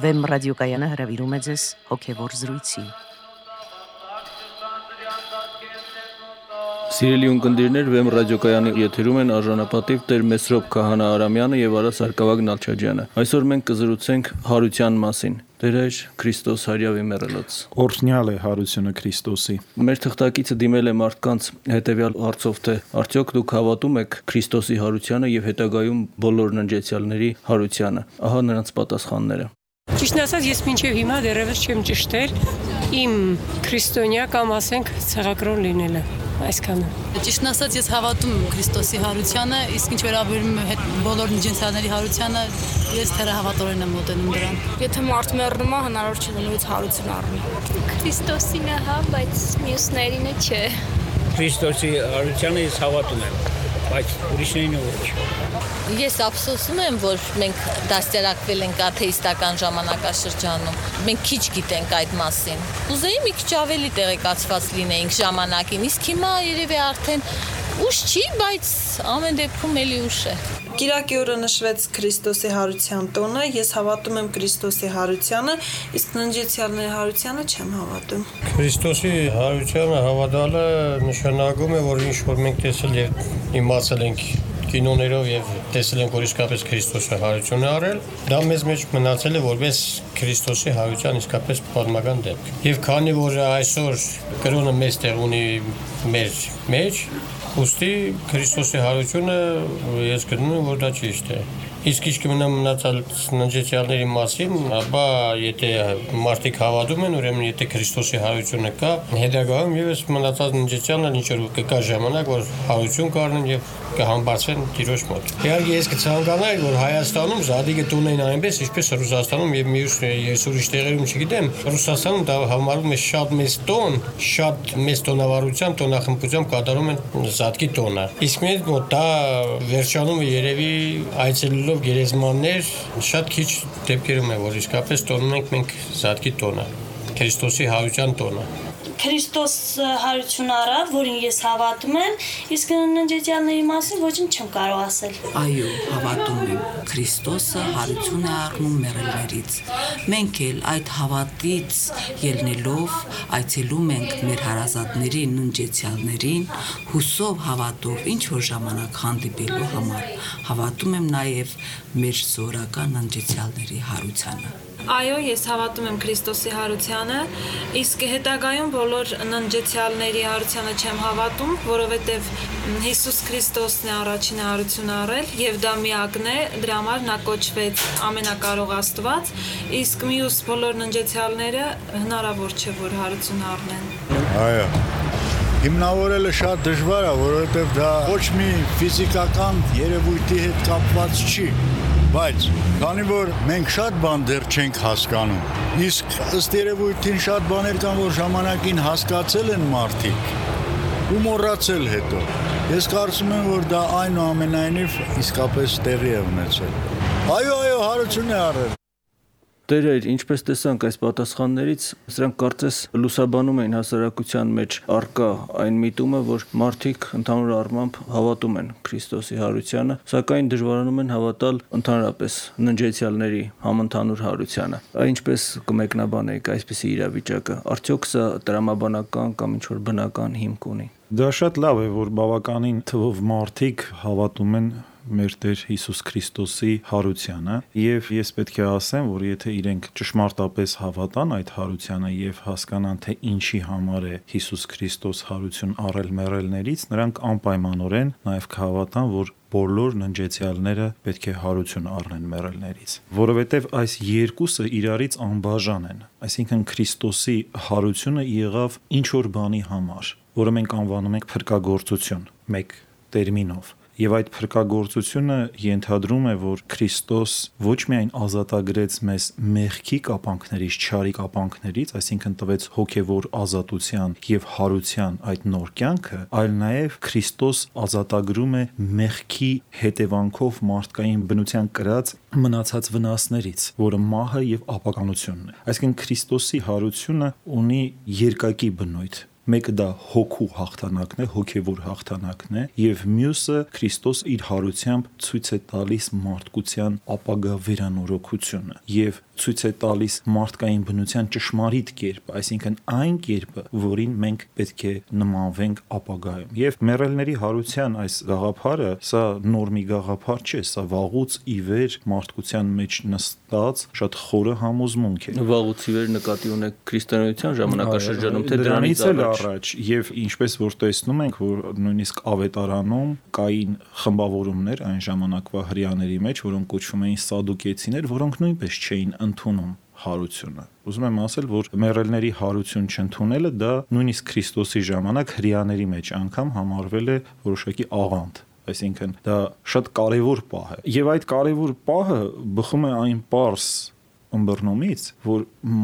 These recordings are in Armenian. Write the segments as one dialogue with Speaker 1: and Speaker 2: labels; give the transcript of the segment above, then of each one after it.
Speaker 1: Վեմ ռադիոկայանը հրավիրում է ձեզ հոգևոր զրույցի։
Speaker 2: Սիրելի ունկնդիրներ, Վեմ ռադիոկայանի եթերում են արժանապատիվ Տեր Մեսրոպ Քահանա Արամյանը եւ Արա Սարգսակյան Նալչաջյանը։ Այսօր մենք կզրուցենք հարության մասին։ Տեր Հայր Քրիստոս հարյավի մեռելոց։
Speaker 3: Օրհնյալ է հարությունը Քրիստոսի։
Speaker 2: Մեր թղթակիցը դիմել է մարդկանց հետեւյալ հարցով, թե արդյոք դուք հավատում եք Քրիստոսի հարությանը եւ հետագայում բոլոր ննջեցյալների հարությանը։ Ահա նրանց պատասխանները։
Speaker 4: Ճիշտն ասած, ես մինչև հիմա դեռևս չեմ ճշտել իմ քրիստոնյա կամ ասենք ցեղակրոն լինելը, այսքանը։
Speaker 5: Ճիշտն ասած, ես հավատում եմ Քրիստոսի հարությանը, իսկ ինչ վերաբերում է բոլոր ննջեցյալների հարությանը, ես թերահավատորեն եմ մոտենում դրան։
Speaker 6: Եթե մարդ մեռնում է, հնարավոր չէ նույնիսկ հարություն առնել։
Speaker 7: Քրիստոսին է, հա, բայց մյուսներինը չէ։
Speaker 8: Քրիստոսի հարությանը ես հավատում եմ, բայց ուրիշներին ոչ։
Speaker 5: Ես ափսոսում եմ, որ մենք դաստիարակվել ենք աթեիստական ժամանակաշրջանում։ Մենք քիչ գիտենք այդ մասին։ Ուզեի մի քիչ ավելի տեղեկացված լինեինք ժամանակին, իսկ հիմա երևի արդեն ուշ չի, բայց ամեն դեպքում էլի ուշ է։
Speaker 9: Կիրակի օրը նշվեց Քրիստոսի հարության տոնը, ես հավատում եմ Քրիստոսի հարությանը, իսկ ննջեցյալների հարությանը չեմ հավատում։
Speaker 10: Քրիստոսի հարությանը հավատալը նշանակում է, որ ինչ որ մենք տեսել եւ իմացել ենք կինոներով եւ տեսել ենք, որ իսկապես Քրիստոսը հարություն է արել, դա մեզ մեջ մնացել է որպես Քրիստոսի հարության իսկապես պատմական դեպք։ Եվ քանի որ այսօր կրոնը մեծ տեղ ունի մեր մեջ, ուստի Քրիստոսի հարությունը ես գտնում եմ, որ դա ճիշտ է։ Իսկ ինչ կմնա մնացած ննջեցյալների մասին, ապա եթե մարդիկ հավատում են, ուրեմն եթե Քրիստոսի հարությունը կա, հետագայում եւս մնացած ննջեցյալները ինչ որ կգա ժամանակ, որ հարություն կառնեն եւ կհամբարձվեն Տիրոջ մոտ։ Իհարկե ես կցանկանայի, որ Հայաստանում զադիգը տունեն այնպես, ինչպես Ռուսաստանում եւ մյուս ես ուրիշ տեղերում չգիտեմ, Ռուսաստանում դա համարվում է շատ մեծ տոնավարությամբ, տոնախմբությամբ կատարում են զադկի տոնը։ Իսկ մեր մոտ դա վերջանում է երևի այցելելով գերեզմաններ, շատ քիչ դեպքերում է, որ իսկապես տոնում ենք մենք զադկի տոնը, Քրիստոսի հարության տոնը։
Speaker 6: Քրիստոս հարություն առավ, որին ես հավատում եմ, իսկ ննջեցյալների մասին ոչինչ չեմ կարող ասել։
Speaker 11: Այո, հավատում եմ։ Քրիստոսը հարություն է առնում մեռելներից։ Մենք էլ այդ հավատից ելնելով այցելում ենք մեր հարազատների ննջեցյալներին, հուսով հավատով ինչ որ ժամանակ հանդիպելու համար։ Հավատում եմ նաև մեր զորական ննջեցյալների հարությանը։
Speaker 12: Այո, ես հավատում եմ Քրիստոսի հարությանը, իսկ հետագայում բոլոր ննջեցյալների հարությանը չեմ հավատում, որովհետև Հիսուս Քրիստոսն է առաջինը հարություն առել եւ դա միակն է, դրա համար նա կոչվեց ամենակարող Աստված, իսկ մյուս բոլոր ննջեցյալները հնարավոր չէ, որ հարություն առնեն։
Speaker 13: Այո։ Հիմնավորելը շատ դժվար է, որովհետև դա ոչ մի ֆիզիկական երևույթի հետ կապված չի, բայց քանի որ մենք շատ բան դեռ չենք հասկանում, իսկ ըստ երևույթին շատ բաներ կան, որ ժամանակին հասկացել են մարդիկ ու մոռացել հետո։ Ես կարծում եմ, որ դա այնուամենայնիվ իսկապես տեղի է ունեցել։ Այո, հարություն է առել։
Speaker 2: Տեր Հայր, ինչպես տեսանք այս պատասխաններից, սրանք կարծես լուսաբանում էին հասարակության մեջ առկա այն միտումը, որ մարդիկ ընդհանուր առմամբ հավատում են Քրիստոսի հարությանը, սակայն դժվարանում են հավատալ ընդհանրապես ննջեցյալների համընդհանուր հարությանը։ Ինչպես կմեկնաբանեիք այսպիսի իրավիճակը, արդյոք սա տրամաբանական կամ ինչ-որ բնական հիմք ունի։
Speaker 3: Դա շատ լավ է, որ բավականին թվով մարդիկ հավատում են մեր Տեր Հիսուս Քրիստոսի հարությանը, եւ ես պետք է ասեմ, որ եթե իրենք ճշմարտապես հավատան այդ հարությանը եւ հասկանան, թե ինչի համար է Հիսուս Քրիստոս հարություն առել մեռելներից, նրանք անպայմանորեն նաեւ կհավատան, որ բոլոր ննջեցյալները պետք է հարություն առնեն մեռելներից, որովհետև այս երկուսը իրարից անբաժան են։ Այսինքն Քրիստոսի հարությունը եղավ ինչ որ բանի համար, որը մենք անվանում ենք փրկagorցություն, մեկ տերմինով։ Եվ այդ փրկagorցությունը ենթադրում է, որ Քրիստոս ոչ միայն ազատագրեց մեզ մեղքի կապանքներից, չարի կապանքներից, այսինքն տվեց հոգևոր ազատության եւ հարության այդ նոր կյանքը, այլ նաեւ Քրիստոս ազատագրում է մեղքի հետևանքով մարդկային բնության կրած մնացած վնասներից, որը մահը եւ ապականությունն է։ Այսինքն Քրիստոսի հարությունը ունի երկակի բնույթ։ Մեկը դա հոգու հաղթանակն է, հոգևոր հաղթանակն է, եւ մյուսը Քրիստոս իր հարությամբ ցույց է տալիս մարդկության ապագա վերանորոգությունը եւ ցույց է տալիս մարդկային բնության ճշմարիտ կերպը, այսինքն այն կերպը, որին մենք պետք է նմանվենք ապագայում։ Եվ մեռելների հարության այս գաղափարը, սա նոր մի գաղափար չէ, սա վաղուց ի վեր մարդկության մեջ նստած շատ խորը համոզմունք է։
Speaker 2: Վաղուց ի վեր նկատի ունեք քրիստոնեության ժամանակաշրջանում, թե
Speaker 3: դրանից առաջ եւ ինչպես որ տեսնում ենք, որ նույնիսկ ավետարանում կային խմբավորումներ այն ժամանակվա հրեաների մեջ, որոնք կոչվում էին սադուկեցիներ, որոնք նույնպես չէին ընդունում հարությունը։ Ուզում եմ ասել, որ մեռելների հարություն չընդունելը դա նույնիսկ Քրիստոսի ժամանակ հրեաների մեջ անգամ համարվել է որոշակի աղանդ։ Այսինքն դա շատ կարևոր պահ է։ Եվ այդ կարևոր պահը բխում է այն պարզ ըմբռնումից, որ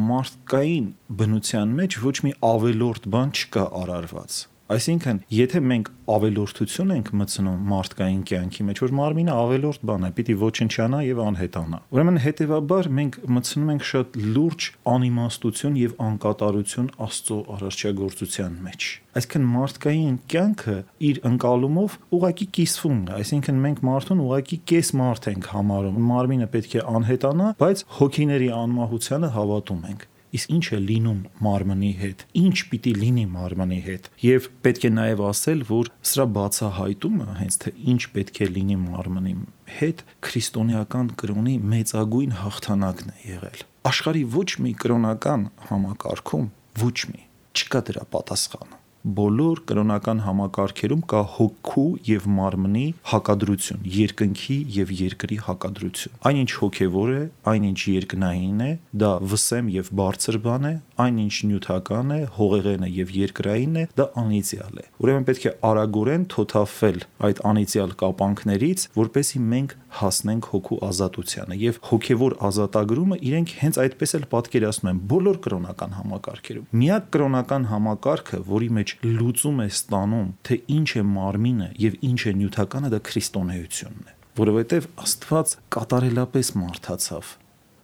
Speaker 3: մարդկային բնության մեջ ոչ մի ավելորդ բան չկա արարված։ Այսինքն, եթե մենք ավելորդություն ենք մտցնում մարդկային կյանքի մեջ, որ մարմինը ավելորդ բան է, պիտի ոչնչանա եւ անհետանա։ Ուրեմն հետեւաբար մենք մտցնում ենք շատ լուրջ անիմաստություն եւ անկատարություն Աստծո արարչագործության մեջ։ Այսինքն մարդկային կյանքը իր ընկալումով ուղակի կիսվում է, այսինքն մենք մարդուն ուղակի կես մարդ ենք համարում։ Մարմինը պետք է անհետանա, բայց հոգիների անմահությանը հավատում ենք։ Իսկ ինչ է լինում մարմնի հետ, ինչ պիտի լինի մարմնի հետ, եւ պետք է նաեւ ասել, որ սրա բացահայտումը հենց թե ինչ պետք է լինի մարմնի հետ քրիստոնեական կրոնի մեծագույն հաղթանակն է եղել։ Աշխարհի ոչ մի կրոնական համակարգում ոչ մի չկա դրա պատասխանը։ Բոլոր կրոնական համակարգերում կա հոգու եւ մարմնի հակադրություն, երկնքի եւ երկրի հակադրություն։ Այնինչ հոգեվոր է, այնինչ երկնային է, դա վսեմ եւ բարձր բան է, այնինչ նյութական է, հողեղեն է եւ երկրային է, դա անիծյալ է։ Ուրեմն պետք է արագորեն թոթափվել այդ անիծյալ կապանքներից, որպեսզի մենք հասնենք հոգու ազատությանը եւ հոգեվոր ազատագրումը իրենք հենց այդպես էլ պատկերացնում են բոլոր կրոնական համակարգերում։ Միակ կրոնական համակարգը, որի մեջ լուծում է ստանում, թե ինչ է մարմինը եւ ինչ է նյութականը, դա քրիստոնեությունն է, որովհետեւ Աստված կատարելապես մարդացավ,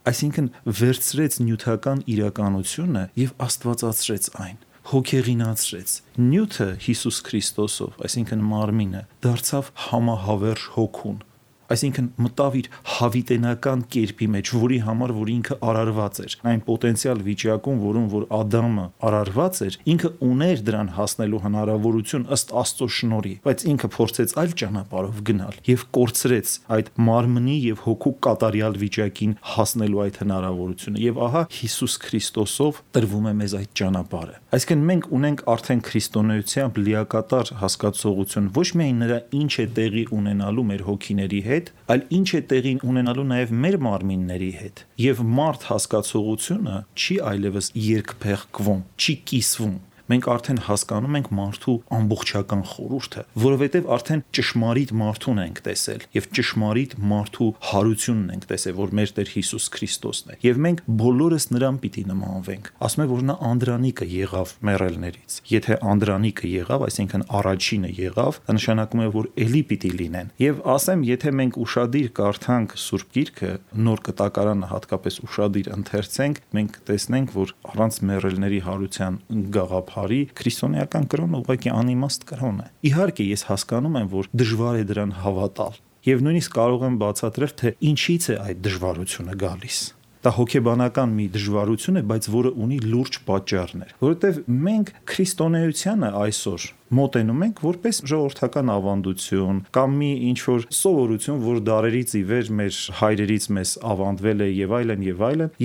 Speaker 3: այսինքն վերցրեց նյութական իրականությունը եւ աստվածացրեց այն, հոգեղինացրեց։ Նյութը Հիսուս Քրիստոսով, այսինքն մարմինը, դարձավ համահավերժ հոգուն, այսինքն մտավ իր հավիտենական կերպի մեջ, որի համար որ ինքը արարված էր, այն պոտենցիալ վիճակում, որում որ Ադամը արարված էր, ինքը ուներ դրան հասնելու հնարավորություն ըստ Աստծո շնորհի, բայց ինքը փորձեց այլ ճանապարհով գնալ եւ կորցրեց այդ մարմնի եւ հոգու կատարյալ վիճակին հասնելու այդ հնարավորությունը, եւ ահա Հիսուս Քրիստոսով տրվում է մեզ այդ ճանապարհը։ Այսինքն մենք ունենք արդեն քրիստոնեությամբ լիակատար հասկացողություն ոչ միայն նրա ինչ է տեղի ունենալու մեր հոգիների հետ, այլ ինչ է տեղի ունենալու նաև մեր մարմինների հետ։ Եվ մարդ հասկացողությունը չի այլևս երկփեղկվում, չի կիսվում։ Մենք արդեն հասկանում ենք մարդու ամբողջական խորհուրդը, որովհետև արդեն ճշմարիտ մարդուն ենք տեսել եւ ճշմարիտ մարդու հարությունն ենք տեսել, որ մեր Տեր Հիսուս Քրիստոսն է։ Եվ մենք բոլորս նրան պիտի նմանվենք։ Ասում է, որ նա անդրանիկը եղավ մեռելներից։ Եթե անդրանիկը եղավ, այսինքն առաջինը եղավ, դա նշանակում է, որ էլի պիտի լինեն։ Եվ ասեմ, եթե մենք ուշադիր կարդանք Սուրբ Գիրքը, Նոր Կտակարանը հատկապես ուշադիր ընթերցենք, մենք տեսնենք, որ առանց մեռելների հարության գաղափարի քրիստոնեական կրոնը ուղղակի անիմաստ կրոն է։ Իհարկե ես հասկանում եմ, որ դժվար է դրան հավատալ, եւ նույնիսկ կարող եմ բացատրել, թե ինչից է այդ դժվարությունը գալիս։ Դա հոգեբանական մի դժվարություն է, բայց որը ունի լուրջ պատճառներ, որովհետև մենք քրիստոնեությանը այսօր մոտենում ենք որպես ժողովրդական ավանդություն կամ մի ինչ-որ սովորություն, որ դարերից ի վեր մեր հայրերից մեզ ավանդվել է եւ այլն,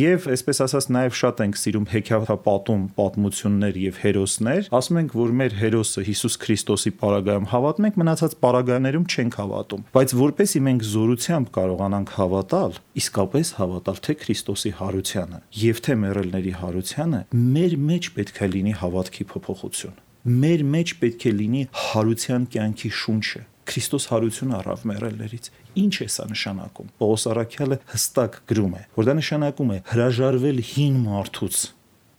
Speaker 3: եւ այսպես ասած նաեւ շատ ենք սիրում հեքիաթապատում պատմություններ եւ հերոսներ, ասում ենք, որ մեր հերոսը Հիսուս Քրիստոսի պարագայում հավատում ենք, մնացած պարագաներում չենք հավատում, բայց որպեսի մենք զորությամբ կարողանանք հավատալ, իսկապես հավատալ թե Քրիստոսի հարությանը եւ թե մեռելների հարությանը, մեր մեջ պետք է լինի հավատքի փոփոխություն։ Մեր մեջ պետք է լինի հարության կյանքի շունչը։ Քրիստոս հարություն առավ մեռելներից։ Ինչ է սա նշանակում։ Պողոս առաքյալը հստակ գրում է, որ դա նշանակում է հրաժարվել հին մարդուց,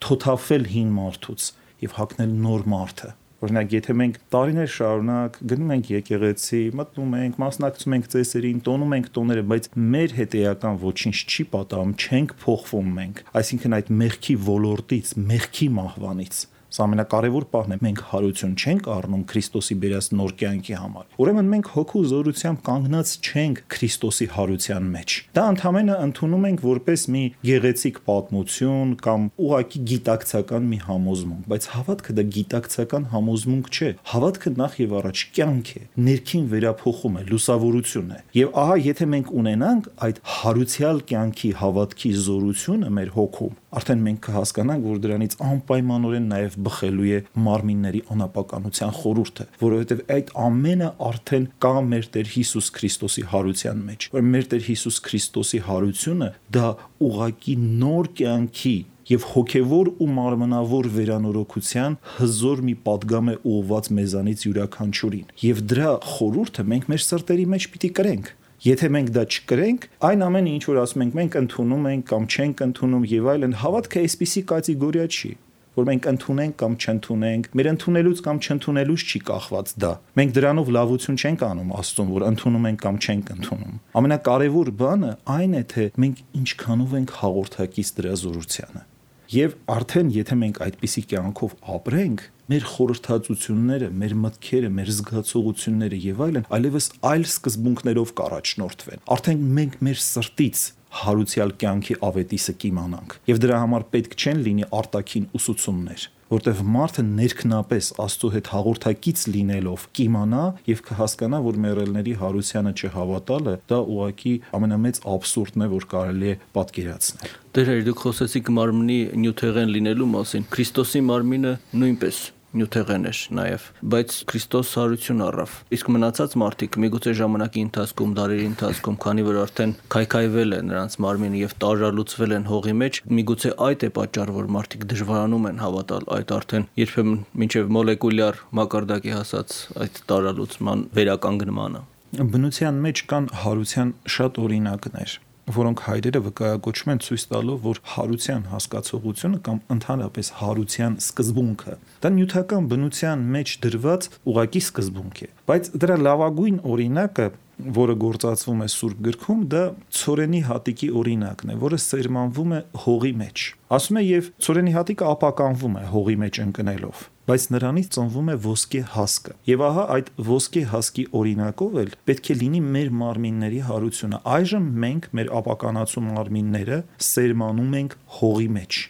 Speaker 3: թոթափվել հին մարդուց եւ հագնել նոր մարդը։ Օրինակ, եթե մենք տարիներ շարունակ գնում ենք եկեղեցի, մտնում ենք, մասնակցում ենք ծեսերին, տոնում ենք տոները, բայց մեր հետեական ոչինչ չի պատահում, չենք փոխվում մենք։ Այսինքն այդ մեղքի ոլորտից, մեղքի մահվանից Սա ամենակարևոր պահն է։ Մենք հարություն չենք առնում Քրիստոսի բերած նոր կյանքի համար։ Ուրեմն մենք հոգու զորությամբ կանգնած չենք Քրիստոսի հարության մեջ։ Դա ընդհանրապես ընդունում ենք որպես մի գեղեցիկ պատմություն կամ ուղղակի գիտակցական մի համոզմունք, բայց հավատքը դա գիտակցական համոզմունք չէ։ Հավատքը նախ եւ առաջ կյանք է, ներքին վերափոխում է, լուսավորություն է։ Եվ ահա եթե մենք ունենանք այդ հարուցյալ կյանքի հավատքի զորությունը մեր հոգում, արդեն մենք կհասկանանք, որ դրանից անպայմանորեն նաև բխելու է մարմինների անապականության խորհուրդը, որովհետև այդ ամենը արդեն կա մեր Տեր Հիսուս Քրիստոսի հարության մեջ։ Որ մեր Տեր Հիսուս Քրիստոսի հարությունը դա ուղղակի նոր կյանքի եւ հոգեվոր ու մարմնավոր վերանորոգության հզոր մի պատգամ է ուղղված մեզանից յուրաքանչյուրին։ Եվ դրա խորհուրդը մենք մեր սրտերի մեջ պիտի կրենք։ Եթե մենք դա չկրենք, այն ամենը ինչ որ ասում ենք, մենք ընդունում ենք կամ չենք ընդունում եւ այլն, հավատքը այսպիսի կատեգորիա չի, որ մենք ընդունենք կամ չընդունենք, մեր ընդունելուց կամ չընդունելուց չի կախված դա։ Մենք դրանով լավություն չենք անում Աստծուն, որ ընդունում ենք կամ չենք ընդունում։ Ամենակարևոր բանը այն է, թե մենք ինչքանով ենք հաղորդակից դրա զորությանը։ Եվ արդեն եթե մենք այդպիսի կյանքով ապրենք, մեր խորհրդածությունները, մեր մտքերը, մեր զգացողությունները եւ այլն այլևս այլ սկզբունքներով կառաջնորդվեն։ Արդեն մենք մեր սրտից հարուցյալ կյանքի ավետիսը կիմանանք։ Եվ դրա համար պետք չեն լինի արտաքին ուսուցումներ, որտեղ մարդը ներքնապես Աստծո հետ հաղորդակից լինելով կիմանա եւ կհասկանա, որ մեռելների հարությանը չհավատալը դա ուղղակի ամենամեծ աբսուրդն է, որ կարելի է պատկերացնել։
Speaker 2: Դեր դուք խոսեցիք մարմնի նյութեղեն լինելու մասին։ Քրիստոսի մարմինը նույնպես նյութեղեն էր նաև, բայց Քրիստոս հարություն առավ։ Իսկ մնացած մարդիկ միգուցե ժամանակի ընթացքում, դարերի ընթացքում, քանի որ արդեն քայքայվել է նրանց մարմինը եւ տարրալուծվել են հողի մեջ, միգուցե այդ է պատճառը, որ մարդիկ դժվարանում են հավատալ այդ արդեն երբեմն մինչև մոլեկուլյար մակարդակի հասած այդ տարրալուծման վերականգնմանը։
Speaker 3: Բնության մեջ կան հարության շատ օրինակներ, որոնք հայրերը վկայակոչում են ցույց տալով, որ հարության հասկացողությունը կամ ընդհանրապես հարության սկզբունքը դա նյութական բնության մեջ դրված ուղակի սկզբունք է, բայց դրա լավագույն օրինակը, որը գործածվում է Սուրբ գրքում, դա ցորենի հատիկի օրինակն է, որը սերմանվում է հողի մեջ։ Ասում է, եւ ցորենի հատիկը ապականվում է հողի մեջ ընկնելով, բայց նրանից ծնվում է ոսկե հասկը։ Եվ ահա այդ ոսկե հասկի օրինակով էլ պետք է լինի մեր մարմինների հարությունը։ Այժմ մենք մեր ապականացու մարմինները սերմանում ենք հողի մեջ,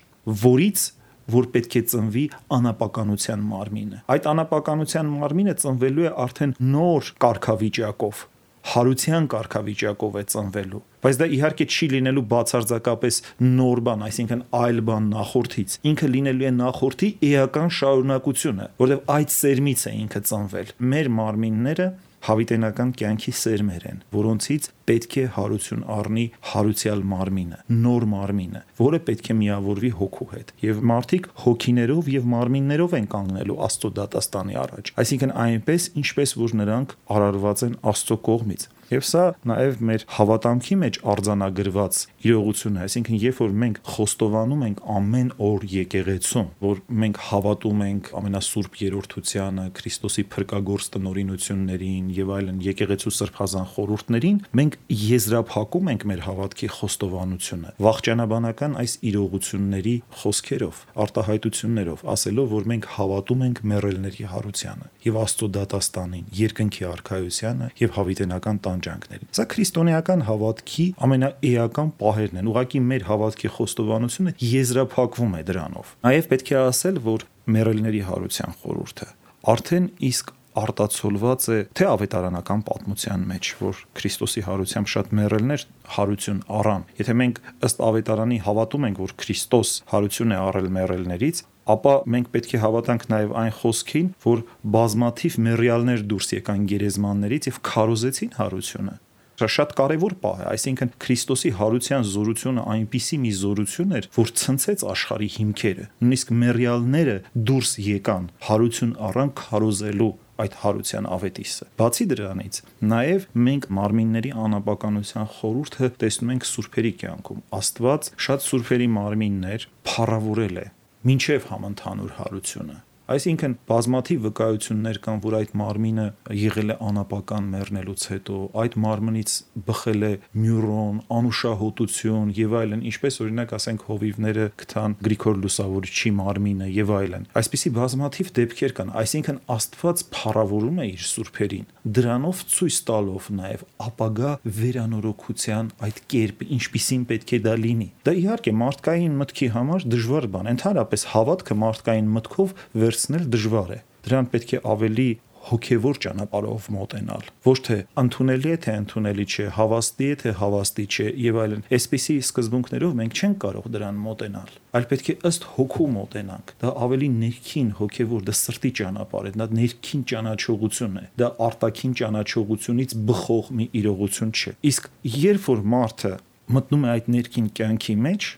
Speaker 3: որից որ պետք է ծնվի անապականության մարմինը։ Այդ անապականության մարմինը ծնվելու է արդեն նոր կարգավիճակով, հարության կարգավիճակով է ծնվելու, բայց դա իհարկե չի լինելու բացարձակապես նոր բան, այսինքն այլ բան նախորդից։ Ինքը լինելու է նախորդի էական շարունակությունը, որովհետև այդ սերմից է ինքը ծնվել։ Մեր մարմինները հավիտենական կյանքի սերմեր են, որոնցից պետք է հարություն առնի հարուցյալ մարմինը, նոր մարմինը, որը պետք է միավորվի հոգու հետ։ Եվ մարդիկ հոգիներով եւ մարմիններով են կանգնելու Աստծո դատաստանի առաջ։ Այսինքն այնպես, ինչպես որ նրանք արարված են Աստծո կողմից։ Եվ սա նաև մեր հավատամքի մեջ արձանագրված իրողություն է, այսինքն երբ որ մենք խոստովանում ենք ամեն օր եկեղեցում, որ մենք հավատում ենք ամենասուրբ երրորդությանը, Քրիստոսի փրկագործ տնօրինություններին եւ այլն եկեղեցու սրբազան խորհուրդներին, մենք եզրափակում ենք մեր հավատքի խոստովանությունը վաղճանաբանական այս իրողությունների խոսքերով, արտահայտություններով, ասելով, որ մենք հավատում ենք մեռելների հարությանը եւ Աստծո դատաստանին, երկնքի արքայությանը եւ հավիտենական տանջանքներին։ Սա քրիստոնեական հավատքի ամենաէական պահերն են։ Ուղղակի մեր հավատքի խոստովանությունը եզրափակվում է դրանով։ Նաև պետք է ասել, որ մեռելների հարության խորհուրդը արդեն իսկ արտացոլված է թե ավետարանական պատմության մեջ, որ Քրիստոսի հարությամբ շատ մեռելներ հարություն առան։ Եթե մենք ըստ ավետարանի հավատում ենք, որ Քրիստոս հարություն է առել մեռելներից, ապա մենք պետք է հավատանք նաև այն խոսքին, որ բազմաթիվ մեռյալներ դուրս եկան գերեզմաններից եւ քարոզեցին հարությունը։ Դա շատ կարևոր պահ է, այսինքն Քրիստոսի հարության զորությունը այնպիսի մի զորություն էր, որ ցնցեց աշխարհի հիմքերը։ Նույնիսկ մեռյալները դուրս եկան, հարություն առան քարոզելու այդ հարության ավետիսը։ Բացի դրանից, նաև մենք մարմինների անապականության խորհուրդը տեսնում ենք սուրբերի կյանքում։ Աստված շատ սուրբերի մարմիններ փառավորել է մինչև համընդհանուր հարությունը։ Այսինքն բազմաթիվ վկայություններ կան, որ այդ մարմինը եղել է անապական մեռնելուց հետո, այդ մարմնից բխել է մյուրոն, անուշահոտություն եւ այլն, ինչպես օրինակ ասենք հովիվները գտան Գրիգոր Լուսավորչի մարմինը եւ այլն։ Այսպիսի բազմաթիվ դեպքեր կան, այսինքն Աստված փառավորում է իր սուրբերին, դրանով ցույց տալով նաեւ ապագա վերանորոգության այդ կերպը, ինչպիսին պետք է դա լինի։ Դա իհարկե մարդկային մտքի համար դժվար բան է, ընդհանրապես հավատքը մարդկային մտքով վերցնել դժվար է։ Դրան պետք է ավելի հոգևոր ճանապարհով մոտենալ, ոչ թե ընդունելի է թե ընդունելի չէ, հավաստի է թե հավաստի չէ եւ այլն։ Այսպիսի սկզբունքներով մենք չենք կարող դրան մոտենալ, այլ պետք է ըստ հոգու մոտենանք։ Դա ավելի ներքին հոգևոր, դա սրտի ճանապարհ է, դա ներքին ճանաչողություն է, դա արտաքին ճանաչողությունից բխող մի իրողություն չէ։ Իսկ երբ որ մարդը մտնում է այդ ներքին կյանքի մեջ,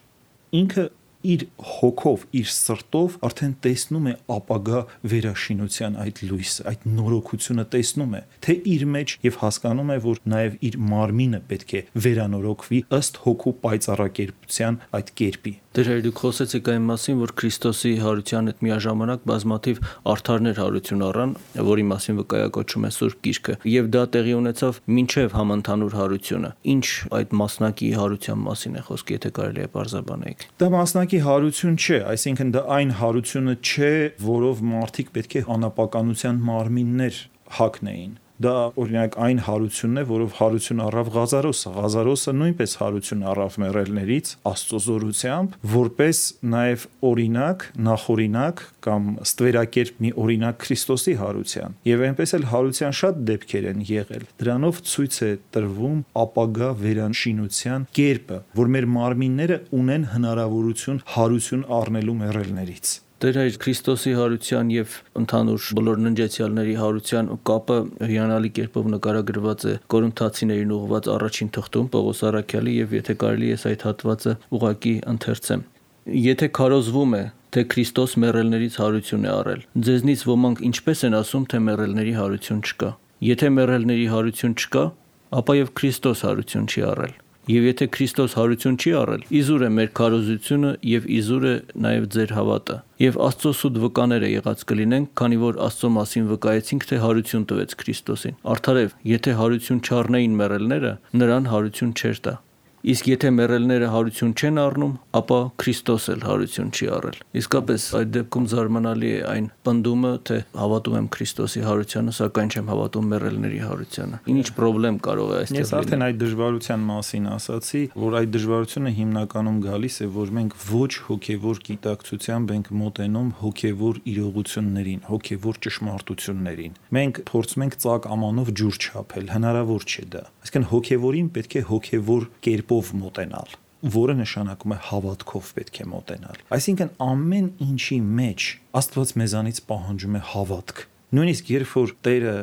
Speaker 3: ինքը իր հոգով, իր սրտով արդեն տեսնում է ապագա վերաշինության այդ լույսը, այդ նորոգությունը տեսնում է, թե իր մեջ եւ հասկանում է, որ նաեւ իր մարմինը պետք է վերանորոգվի ըստ հոգու պայծառակերպության այդ կերպի։
Speaker 2: Դեր դուք խոսեցիք այն մասին, որ Քրիստոսի հարության հետ միաժամանակ բազմաթիվ արդարներ հարություն առան, որի մասին վկայակոչում է Սուրբ Գիրքը, եւ դա տեղի ունեցավ մինչեւ համընդհանուր հարությունը։ Ինչ այդ մասնակի հարության մասին է խոսքը, եթե կարելի է բարձրաբանեք։
Speaker 3: Դա մասնակի հարություն չէ, այսինքն դա այն հարությունը չէ, որով մարդիկ պետք է անապականության մարմիններ հագնեին։ Դա օրինակ այն հարությունն է, որով հարություն առավ Ղազարոսը։ Ղազարոսը նույնպես հարություն առավ մեռելներից Աստծո զորությամբ, որպես նաև օրինակ, նախօրինակ կամ ստվերակերպ մի օրինակ Քրիստոսի հարության։ Եվ այնպես էլ հարության շատ դեպքեր են եղել։ Դրանով ցույց է տրվում ապագա վերանշինության կերպը, որ մեր մարմինները ունեն հնարավորություն հարություն առնելու մեռելներից։
Speaker 2: Դեր այդ Քրիստոսի հարության եւ ընդհանուր բոլոր ննջեցյալների հարության կապը հիանալի կերպով նկարագրված է Կորինթացիներին ուղղված առաջին թղթում Պողոս առաքյալի եւ եթե կարելի է այդ հատվածը ուղակի ընթերցեմ։ Եթե քարոզվում է, թե Քրիստոս մեռելներից հարություն է առել, ձեզնից ոմանք ինչպես են ասում, թե մեռելների հարություն չկա։ Եթե մեռելների հարություն չկա, ապա եւ Քրիստոս հարություն չի առել։ Եվ եթե Քրիստոս հարություն չի առել, իզուր է մեր քարոզությունը եւ իզուր է նաեւ ձեր հավատը։ Եվ Աստծո սուտ վկաները եղած կլինենք, քանի որ Աստծո մասին վկայեցինք, թե հարություն տվեց Քրիստոսին։ Արդարև, եթե հարություն չառնեին մեռելները, նրան հարություն չէր տա։ Իսկ եթե մեռելները հարություն չեն առնում, ապա Քրիստոս էլ հարություն չի առել։ Իսկապես այդ դեպքում զարմանալի է այն պնդումը, թե հավատում եմ Քրիստոսի հարությանը, սակայն չեմ հավատում մեռելների հարությանը։ Ինչ խնդրեմ կարող է այստեղ լինել։
Speaker 3: Ես արդեն այդ դժվարության մասին ասացի, որ այդ դժվարությունը հիմնականում գալիս է, որ մենք ոչ հոգևոր գիտակցությամբ ենք մոտենում հոգևոր իրողություններին, հոգևոր ճշմարտություններին։ Մենք փորձում ենք ծակ ամանով ջուր չափել, հնարավոր չէ դա։ Այսինքն հոգևորին պետք է հոգևոր կերպով մոտենալ, որը նշանակում է հավատքով պետք է մոտենալ։ Այսինքն ամեն ինչի մեջ Աստված մեզանից պահանջում է հավատք։ Նույնիսկ երբ որ Տերը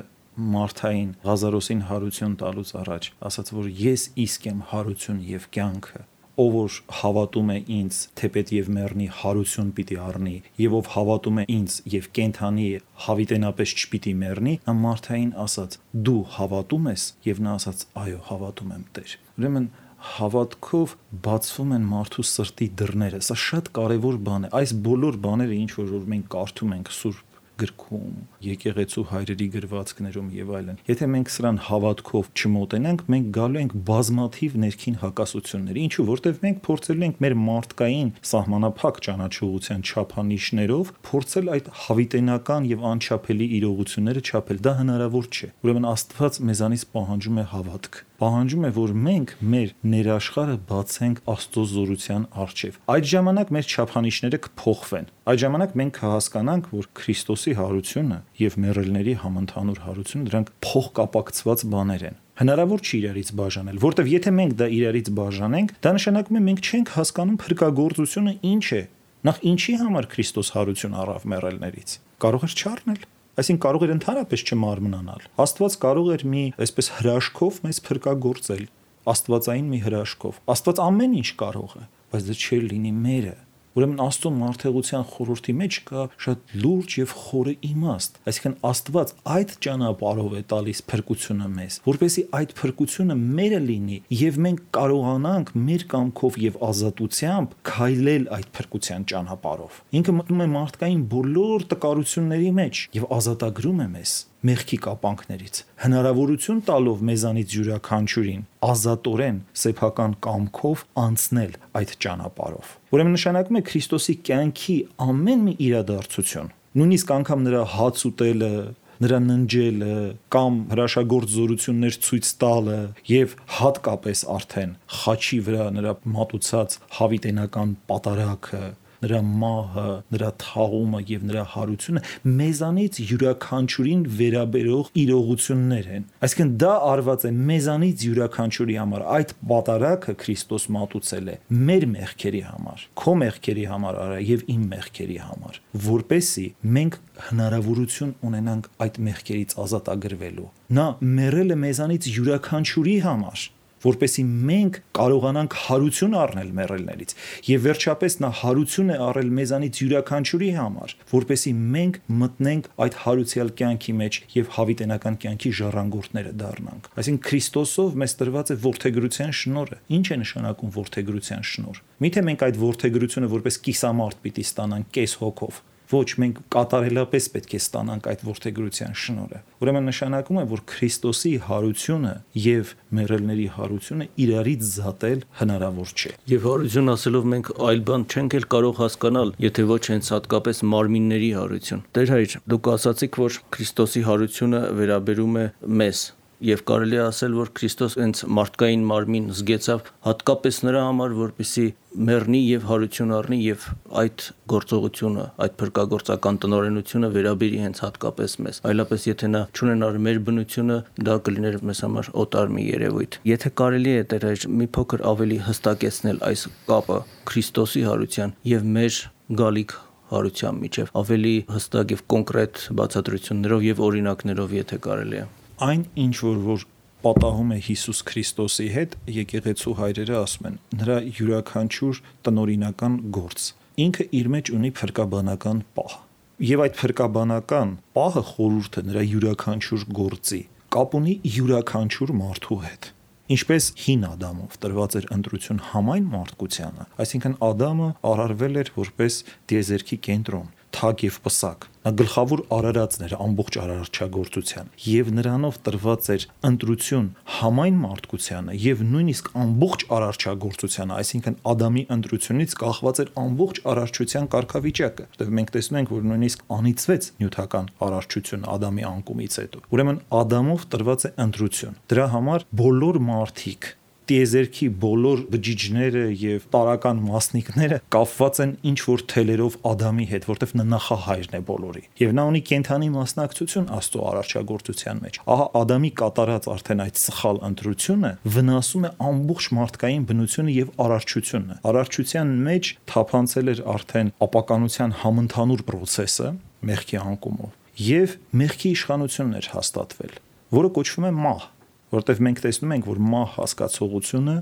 Speaker 3: Մարթային Ղազարոսին հարություն տալուց առաջ ասաց, որ ես իսկ եմ հարություն եւ կյանքը, ով որ հավատում է ինձ, թեպետ եւ մեռնի, հարություն պիտի առնի, եւ ով հավատում է ինձ եւ կենթանի հավիտենապես չպիտի մեռնի, նա Մարթային ասաց. դու հավատում ես, եւ նա ասաց. այո, հավատում եմ, Տեր։ Ուրեմն հավատքով բացվում են մարդու սրտի դռները։ Սա շատ կարևոր բան է։ Այս բոլոր բաները, ինչ որ մենք կարդում ենք Սուրբ գրքում, եկեղեցու հայրերի գրվածքներում եւ այլն։ Եթե մենք սրան հավատքով չմոտենանք, մենք գալու ենք բազմաթիվ ներքին հակասությունների, ինչու որտեվ մենք փորձելու ենք մեր մարդկային սահմանափակ ճանաչողության չափանիշներով փորձել այդ հավիտենական եւ անչափելի իրողությունները չափել։ Դա հնարավոր չէ։ Ուրեմն Աստված մեզանից պահանջում է հավատք։ Պահանջում է, որ մենք մեր ներաշխարը բացենք Աստծո զորության առջև։ Այդ ժամանակ մեր չափանիշները կփոխվեն։ Այդ ժամանակ մենք կհասկանանք, որ Քրիստոսի հարությունը եւ մեռելների համընդհանուր հարությունը դրանք փոխկապակցված բաներ են։ Հնարավոր չի իրարից բաժանել, որտեվ եթե մենք դա իրարից բաժանենք, դա նշանակում է մենք չենք հասկանում փրկagorցությունը ինչ է։ Նախ ինչի համար Քրիստոս հարություն առավ մեռելներից։ Կարող էր չառնել։ Այսինքն կարող էր ընդհանրապես չմարմնանալ։ Աստված կարող էր մի այսպես հրաշքով մեզ փրկagorցել, աստվածային մի հրաշքով։ Աստված ամեն ինչ կարող է, բայց դա չէր լինի մերը։ Ուրեմն Աստծո մարդեղության խորհրդի մեջ կա շատ լուրջ եւ խորը իմաստ, այսինքն Աստված այդ ճանապարհով է տալիս փրկությունը մեզ, որպեսզի այդ փրկությունը մերը լինի եւ մենք կարողանանք մեր կամքով եւ ազատությամբ քայլել այդ փրկության ճանապարհով։ Ինքը մտնում է մարդկային բոլոր տկարությունների մեջ եւ ազատագրում է մեզ մեղքի կապանքներից, հնարավորություն տալով մեզանից յուրաքանչյուրին ազատորեն սեփական կամքով անցնել այդ ճանապարհով։ Ուրեմն նշանակում է Քրիստոսի կյանքի ամեն մի իրադարձություն, նույնիսկ անգամ նրա հաց ուտելը, նրա ննջելը կամ հրաշագործ զորություններ ցույց տալը եւ հատկապես արդեն խաչի վրա նրա մատուցած հավիտենական պատարագը, նրա մահը, նրա թաղումը եւ նրա հարությունը մեզանից յուրաքանչյուրին վերաբերող իրողություններ են։ Այսինքն դա արված է մեզանից յուրաքանչյուրի համար, այդ պատարագը Քրիստոս մատուցել է մեր մեղքերի համար, քո մեղքերի համար արա եւ իմ մեղքերի համար, որպեսզի մենք հնարավորություն ունենանք այդ մեղքերից ազատագրվելու։ Նա մեռել է մեզանից յուրաքանչյուրի համար, որպեսզի մենք կարողանանք հարություն առնել մեռելներից եւ վերջապես նա հարություն է առել մեզանից յուրաքանչյուրի համար, որպեսզի մենք մտնենք այդ հարուցյալ կյանքի մեջ եւ հավիտենական կյանքի ժառանգորդները դառնանք։ Այսինքն Քրիստոսով մեզ տրված է որդեգրության շնորհը։ Ինչ է նշանակում որդեգրության շնորհ։ Միթե մենք այդ որդեգրությունը որպես կիսամարդ պիտի ստանանք կես հոգով, ոչ, մենք կատարելապես պետք է ստանանք այդ որդեգրության շնորհը։ Ուրեմն նշանակում է, որ Քրիստոսի հարությունը եւ մեռելների հարությունը իրարից զատել հնարավոր չէ։
Speaker 2: Եվ հարություն ասելով մենք այլ բան չենք էլ կարող հասկանալ, եթե ոչ հենց հատկապես մարմինների հարություն։ Տեր Հայր, դուք ասացիք, որ Քրիստոսի հարությունը վերաբերում է մեզ։ Եվ կարելի է ասել, որ Քրիստոս հենց մարդկային մարմին զգեցավ հատկապես նրա համար, որպեսզի մեռնի եւ հարություն առնի եւ այդ գործողությունը, այդ փրկagorցական տնօրենությունը վերաբերի հենց հատկապես մեզ։ Այլապես եթե նա չունենար մեր բնությունը, դա կլիներ մեզ համար օտար մի երևույթ։ Եթե կարելի է Տեր Հայր մի փոքր ավելի հստակեցնել այս կապը Քրիստոսի հարության եւ մեր գալիք հարության միջև, ավելի հստակ եւ կոնկրետ բացատրություններով եւ օրինակներով, եթե կարելի է։
Speaker 3: Այն ինչ որ պատահում է Հիսուս Քրիստոսի հետ, եկեղեցու հայրերը ասում են, նրա յուրաքանչյուր տնօրինական գործ ինքը իր մեջ ունի փրկաբանական պահ։ Եվ այդ փրկաբանական պահը խորհուրդը նրա յուրաքանչյուր գործի կապ ունի յուրաքանչյուր մարդու հետ։ Ինչպես հին Ադամով տրված էր ընտրություն համայն մարդկությանը, այսինքն Ադամը արարվել էր որպես տիեզերքի կենտրոն, թագ եւ պսակ։ Նա գլխավոր արարածն էր ամբողջ արարչագործության եւ նրանով տրված էր ընտրություն համայն մարդկությանը եւ նույնիսկ ամբողջ արարչագործությանը, այսինքն Ադամի ընտրությունից կախված էր ամբողջ արարչության կարգավիճակը, որտեղ մենք տեսնում ենք, որ նույնիսկ անիծվեց նյութական արարչությունը Ադամի անկումից հետո։ Ուրեմն Ադամով տրված է ընտրություն։ Դրա համար բոլոր մարդիկ տիեզերքի բոլոր բջիջները եւ տարական մասնիկները կապված են ինչ որ թելերով Ադամի հետ, որտեվ նա նախահայրն է բոլորի։ Եվ նա ունի կենթանի մասնակցություն Աստծո արարչագործության մեջ։ Ահա Ադամի կատարած արդեն այդ սխալ ընտրությունը վնասում է ամբողջ մարդկային բնությունը եւ արարչությունը։ Արարչության մեջ թափանցել էր արդեն ապականության համընդհանուր process-ը մեղքի անկումով եւ մեղքի իշխանությունն էր հաստատվել, որը կոչվում է մահ, որտեղ մենք տեսնում ենք, որ մահ հասկացողությունը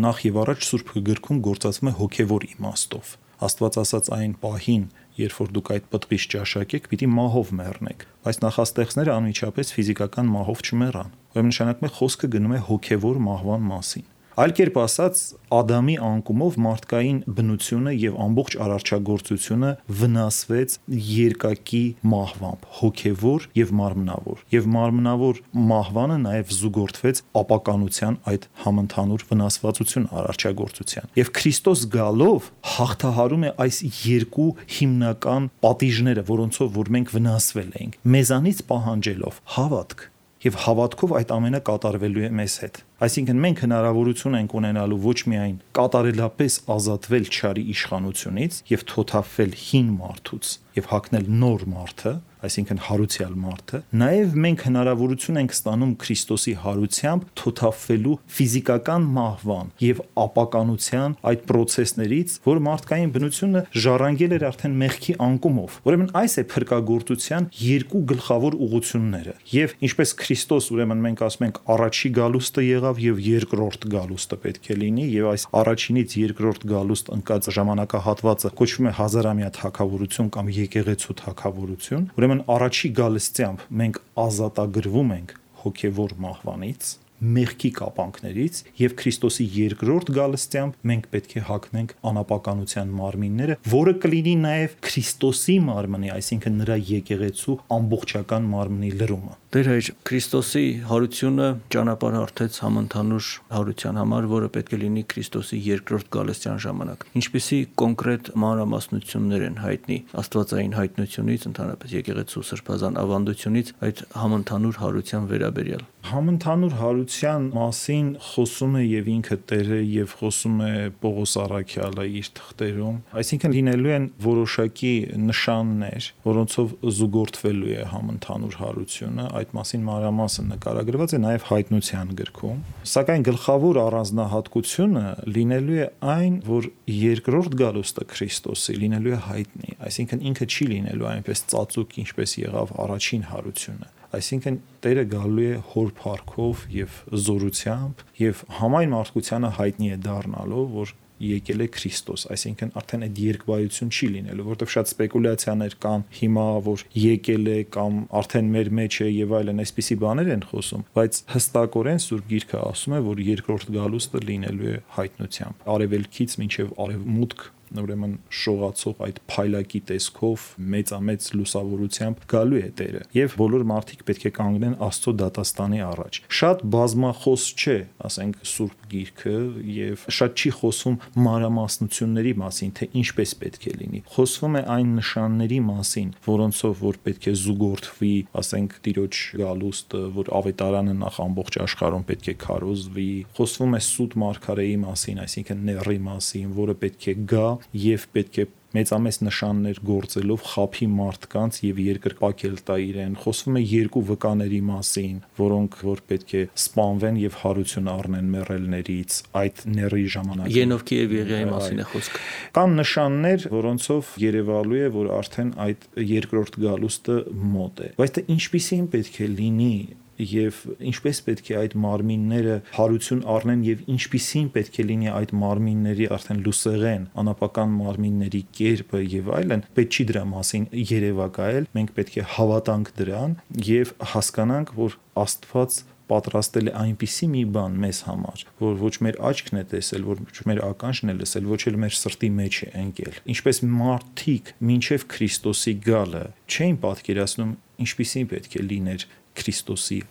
Speaker 3: նախ եւ առաջ Սուրբ Գրքում գործածվում է հոգեվոր իմաստով։ Աստված ասաց այն պահին, երբ որ դուք այդ պտղից ճաշակեք, պիտի մահով մեռնեք, բայց նախաստեղծները անմիջապես ֆիզիկական մահով չմեռան։ Ուրեմն նշանակում է խոսքը գնում է հոգեվոր մահվան մասին։ Այլ կերպ ասած, Ադամի անկումով մարդկային բնությունը եւ ամբողջ արարչագործությունը վնասվեց երկակի մահվամբ, հոգեվոր եւ մարմնավոր։ Եվ մարմնավոր մահվանը նաեւ զուգորդվեց ապականության այդ համընդհանուր վնասվածություն արարչագործության։ Եվ Քրիստոս գալով հաղթահարում է այս երկու հիմնական պատիժները, որոնցով որ մենք վնասվել ենք, մեզանից պահանջելով հավատք։ Եվ հավատքով այդ ամենը կատարվելու է մեզ հետ։ Այսինքն մենք հնարավորություն ենք ունենալու ոչ միայն կատարելապես ազատվել չարի իշխանությունից եւ թոթափվել հին մարդուց եւ հագնել նոր մարդը, այսինքն հարուցյալ մարդը, նաև մենք հնարավորություն ենք ստանում Քրիստոսի հարությամբ թոթափվելու ֆիզիկական մահվան եւ ապականության այդ process-ներից, որ մարդկային բնությունը ժառանգել էր արդեն մեղքի անկումով։ Ուրեմն այս է փրկagorցության երկու գլխավոր ուղղությունները։ Եվ ինչպես Քրիստոս, ուրեմն մենք ասում ենք առաջի գալուստը եղավ եւ երկրորդ գալուստը պետք է լինի, եւ այս առաջինից երկրորդ գալուստ ընկած ժամանակահատվածը կոչվում է հազարամյա թագավորություն կամ եկեղեցու թագավորություն։ Ուրեմն առաջի գալստությամբ մենք ազատագրվում ենք հոգևոր մահվանից, մեղքի կապանքներից, եւ Քրիստոսի երկրորդ գալստությամբ մենք պետք է հագնենք անապականության մարմինները, որը կլինի նաեւ Քրիստոսի մարմնի, այսինքն նրա եկեղեցու ամբողջական մարմնի լրումը։
Speaker 2: Տեր հայր, Քրիստոսի հարությունը ճանապարհ հարթեց համընդհանուր հարության համար, որը պետք է լինի Քրիստոսի երկրորդ գալստյան ժամանակ։ Ինչպիսի կոնկրետ մանրամասնություններ են հայտնի աստվածային հայտնությունից, ընդհանրապես եկեղեցու սրբազան ավանդությունից այդ համընդհանուր հարության վերաբերյալ։
Speaker 3: Համընդհանուր հարության մասին խոսում է եւ ինքը Տերը եւ խոսում է Պողոս Առաքյալը իր թղթերում, այսինքն լինելու են որոշակի նշաններ, որոնցով զուգորդվելու է համընդհանուր հարությունը, այդ մասին մանրամասն նկարագրված է նաեւ հայտնության գրքում, սակայն գլխավոր առանձնահատկությունը լինելու է այն, որ երկրորդ գալուստը Քրիստոսի լինելու է հայտնի, այսինքն ինքը չի լինելու այնպես ծածուկ, ինչպես եղավ առաջին հարությունը։ Այսինքն Տերը գալու է հոր փառքով եւ զորությամբ եւ համայն մարդկությանը հայտնի է դառնալով, որ եկել է Քրիստոս, այսինքն արդեն այդ երկվայություն չի լինելու, որովհետև շատ սպեկուլյացիաներ կան հիմա, որ եկել է կամ արդեն մեր մեջ է եւ այլն, այսպիսի բաներ են խոսում, բայց հստակորեն Սուրբ Գիրքը ասում է, որ երկրորդ գալուստը լինելու է հայտնությամբ, արևելքից մինչեւ արևմուտք, ուրեմն շողացող այդ փայլակի տեսքով մեծամեծ լուսավորությամբ գալու է Տերը եւ բոլոր մարդիկ պետք է կանգնեն Աստծո դատաստանի առաջ։ Շատ բազմախոս չէ, ասենք Սուրբ Գիրքը եւ շատ չի խոսում մանրամասնությունների մասին, թե ինչպես պետք է լինի։ Խոսվում է այն նշանների մասին, որոնցով որ պետք է զուգորդվի, ասենք Տիրոջ գալուստը, որ ավետարանը նախ ամբողջ աշխարհում պետք է քարոզվի։ Խոսվում է սուտ մարգարեի մասին, այսինքն Նեռի մասին, որը պետք է գա եւ պետք է մեծամեծ նշաններ գործելով խափի մարդկանց եւ երկրպագել տա իրեն։ Խոսվում է երկու վկաների մասին, որոնք որ պետք է սպանվեն եւ հարություն առնեն մեռելներից այդ Նեռի ժամանակ։
Speaker 2: Ենովքի եւ Եղիայի մասին է խոսքը։
Speaker 3: Կան նշաններ, որոնցով երևալու է, որ արդեն այդ երկրորդ գալուստը մոտ է։ Բայց դա ինչպիսին պետք է լինի եւ ինչպես պետք է այդ մարմինները հարություն առնեն եւ ինչպիսին պետք է լինի այդ մարմինների արդեն լուսեղեն անապական մարմինների կերպը եւ այլն, պետք չի դրա մասին երևակայել, մենք պետք է հավատանք դրան եւ հասկանանք, որ Աստված պատրաստել է այնպիսի մի բան մեզ համար, որ ոչ մեր աչքն է տեսել, ոչ մեր ականջն է լսել, ոչ էլ մեր սրտի մեջ է ընկել։ Ինչպես մարդիկ մինչև Քրիստոսի գալը չէին պատկերացնում, ինչպիսին պետք է լիներ Քրիստոսի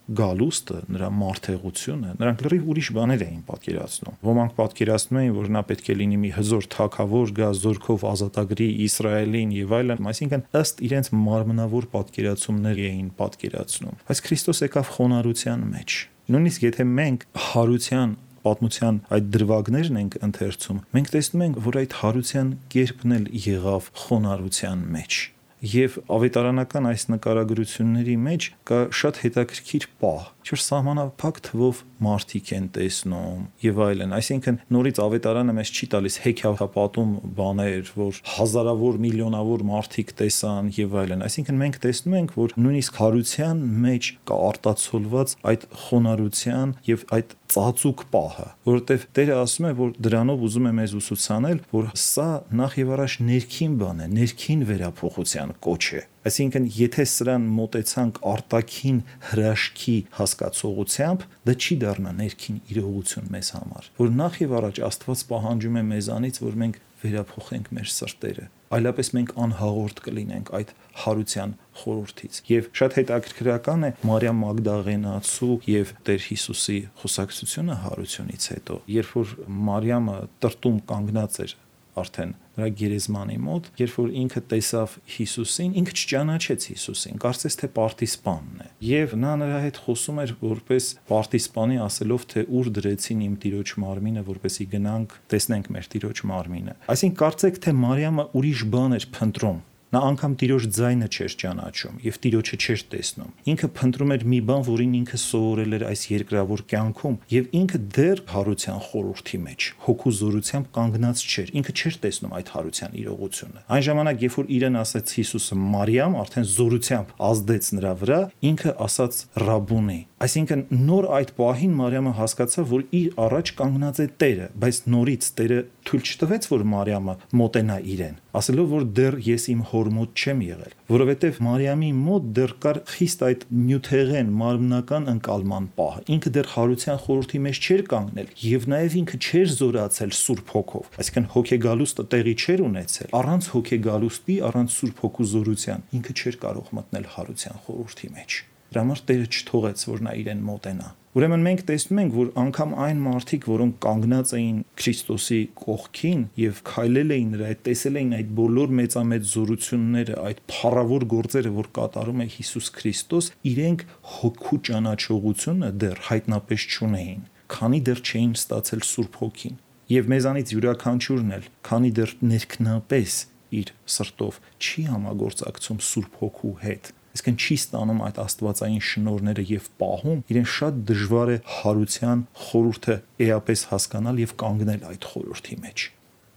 Speaker 3: գալուստը, նրա մարդեղությունը, նրանք լրիվ ուրիշ բաներ էին պատկերացնում։ Ոմանք պատկերացնում էին, որ նա պետք է լինի մի հզոր թագավոր, գա զորքով ազատագրի Իսրայելին եւ այլն, այսինքն ըստ իրենց մարմնավոր պատկերացումներ էին պատկերացնում։ Բայց Քրիստոս եկավ խոնարհության մեջ։ Նույնիսկ եթե մենք հարության պատմության այդ դրվագներն ենք ընթերցում, մենք տեսնում ենք, որ այդ հարության կերպն էլ եղավ խոնարհության մեջ։ Եվ ավետարանական այս նկարագրությունների մեջ կա շատ հետաքրքիր պահ, որ սահմանափակ թվով մարդիկ են տեսնում եւ այլն, այսինքն նորից ավետարանը մեզ չի տալիս հեքիաթապատում բաներ, որ հազարավոր միլիոնավոր մարդիկ տեսան եւ այլն, այսինքն մենք տեսնում ենք, որ նույնիսկ հարության մեջ կա արտացոլված այդ խոնարհության եւ այդ ծածուկ պահը, որովհետև Տերը ասում է, որ դրանով ուզում է մեզ ուսուցանել, որ սա նախ եւ առաջ ներքին բան է, ներքին վերափոխության կոչ է։ Այսինքն, եթե սրան մոտեցանք արտաքին հրաշքի հասկացողությամբ, դա չի դառնա ներքին իրողություն մեզ համար, որ նախ եւ առաջ Աստված պահանջում է մեզանից, որ մենք վերափոխենք մեր սրտերը, այլապես մենք անհաղորդ կլինենք այդ հարության խորհրդից։ Եվ շատ հետաքրքրական է Մարիամ Մագդաղենացու եւ Տեր Հիսուսի խոսակցությունը հարությունից հետո, երբ որ Մարիամը տրտում կանգնած էր արդեն նրա գերեզմանի մոտ, երբ որ ինքը տեսավ Հիսուսին, ինքը չճանաչեց Հիսուսին, կարծես թե պարտիսպանն է։ Եվ նա նրա հետ խոսում էր որպես պարտիսպանի, ասելով, թե ուր դրեցին իմ Տիրոջ մարմինը, որպեսզի գնանք տեսնենք մեր Տիրոջ մարմինը։ Այսինքն կարծեք, թե Մարիամը ուրիշ բան էր փնտրում, Նա անգամ Տիրոջ ձայնը չէր ճանաչում եւ Տիրոջը չէր տեսնում։ Ինքը փնտրում էր մի բան, որին ինքը սովորել էր այս երկրավոր կյանքում, եւ ինքը դեռ հարության խորհրդի մեջ հոգու զորությամբ կանգնած չէր։ Ինքը չէր տեսնում այդ հարության իրողությունը։ Այն ժամանակ, երբ որ իրեն ասաց Հիսուսը Մարիամ, արդեն զորությամբ ազդեց նրա վրա, ինքը ասաց Ռաբունի։ Այսինքն նոր այդ պահին Մարիամը հասկացավ, որ իր առաջ կանգնած է Տերը, բայց նորից Տերը թույլ չտվեց, որ Մարիամը մոտենա իրեն, ասելով, որ դեռ ես իմ հոր մոտ չեմ եղել, որովհետև Մարիամի մոտ դեռ կար խիստ այդ նյութեղեն մարմնական ընկալման պահը։ Ինքը դեռ հարության խորհրդի մեջ չէր կանգնել եւ նաեւ ինքը չէր զորացել Սուրբ Հոգով, այսինքն հոգեգալուստը տեղի չէր ունեցել։ Առանց հոգեգալուստի, առանց Սուրբ Հոգու զորության ինքը չէր կարող մտնել հարության խորհրդի մեջ։ Դրա համար Տերը չթողեց, որ նա իրեն մոտենա։ Ուրեմն մենք տեսնում ենք, որ անգամ այն մարդիկ, որոնք կանգնած էին Քրիստոսի կողքին եւ քայլել էին նրա հետ, տեսել էին այդ բոլոր մեծամեծ զորությունները, այդ փառավոր գործերը, որ կատարում է Հիսուս Քրիստոս, իրենք հոգու ճանաչողությունը դեռ հայտնապես չունեին, քանի դեռ չէին ստացել Սուրբ Հոգին։ Եվ մեզանից յուրաքանչյուրն էլ, քանի դեռ ներքնապես իր սրտով չի համագործակցում Սուրբ Հոգու հետ, այսինքն չի ստանում այդ աստվածային շնորհները եւ պահում, իրեն շատ դժվար է հարության խորհուրդը էապես հասկանալ եւ կանգնել այդ խորհրդի մեջ։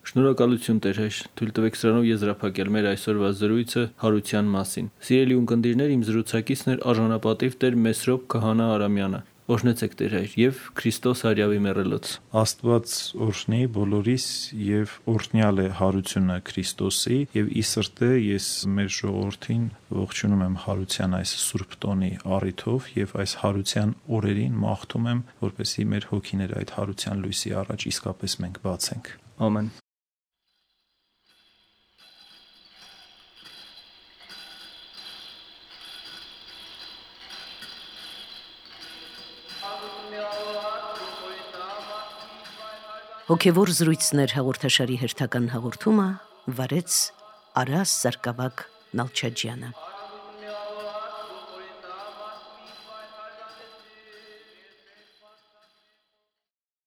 Speaker 2: Շնորհակալություն Տեր հայր, թույլ տվեք սրանով եզրափակել մեր այսօրվա զրույցը հարության մասին։ Սիրելի ունկնդիրներ, իմ զրուցակիցն էր արժանապատիվ Տեր Մեսրոպ Քահանա Արամյանը։ Օրհնեցեք Տեր հայր եւ Քրիստոս հարյավի մեռելոց։
Speaker 3: Աստված օրհնի բոլորիս եւ օրհնյալ է հարությունը Քրիստոսի եւ ի սրտե ես մեր ժողովրդին ողջունում եմ հարության այս սուրբ տոնի առիթով եւ այս հարության օրերին մաղթում եմ, որպեսզի մեր հոգիները այդ հարության լույսի առաջ իսկապես մենք բացենք։
Speaker 2: Ամեն։
Speaker 1: Հոգևոր զրույցներ հաղորդաշարի հերթական հաղորդումը վարեց Արաս Սարգսակ Նալչաջյանը։